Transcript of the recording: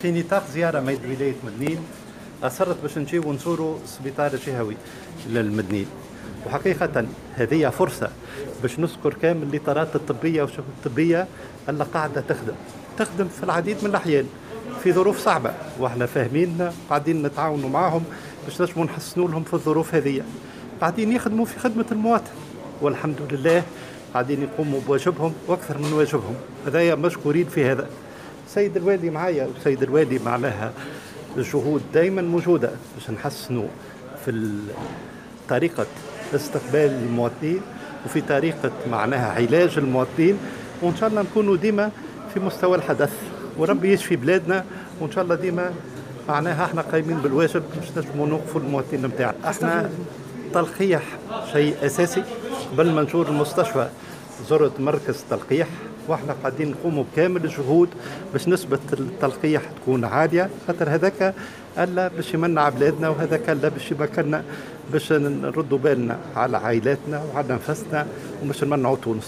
في نطاق زيارة ميد ولاية مدنين أصرت باش نجيو ونزوروا السبيطار الجهوي للمدنين، وحقيقة هذه فرصة باش نذكر كامل الإطارات الطبية والشبكة الطبية اللي قاعدة تخدم في العديد من الأحيان في ظروف صعبة، واحنا فاهمين قاعدين نتعاونوا معهم باش نجموا نحسنوا لهم في الظروف هذه. قاعدين يخدموا في خدمة المواطن والحمد لله قاعدين يقوموا بواجبهم وأكثر من واجبهم، هذايا مشكورين في هذا. سيد الوالي معايا، وسيد الوالي معناها الجهود دائما موجودة باش نحسنوا في طريقة استقبال المواطنين وفي طريقة معناها علاج المواطنين، وإن شاء الله نكونوا ديما في مستوى الحدث وربي يشفي بلادنا، وإن شاء الله ديما معناها احنا قايمين بالواجب باش نجموا نوقفوا المواطنين نتاعنا. احنا تلقيح شيء أساسي، قبل ما نزور المستشفى زرت مركز تلقيح، واحنا قاعدين نقوموا بكامل الجهود باش نسبة التلقيح تكون عالية، خاطر هذاك ألا باش يمنع بلادنا، وهذاك ألا باش يمكننا باش نردوا بالنا على عائلاتنا وعلى نفسنا وباش نمنعوا تونس.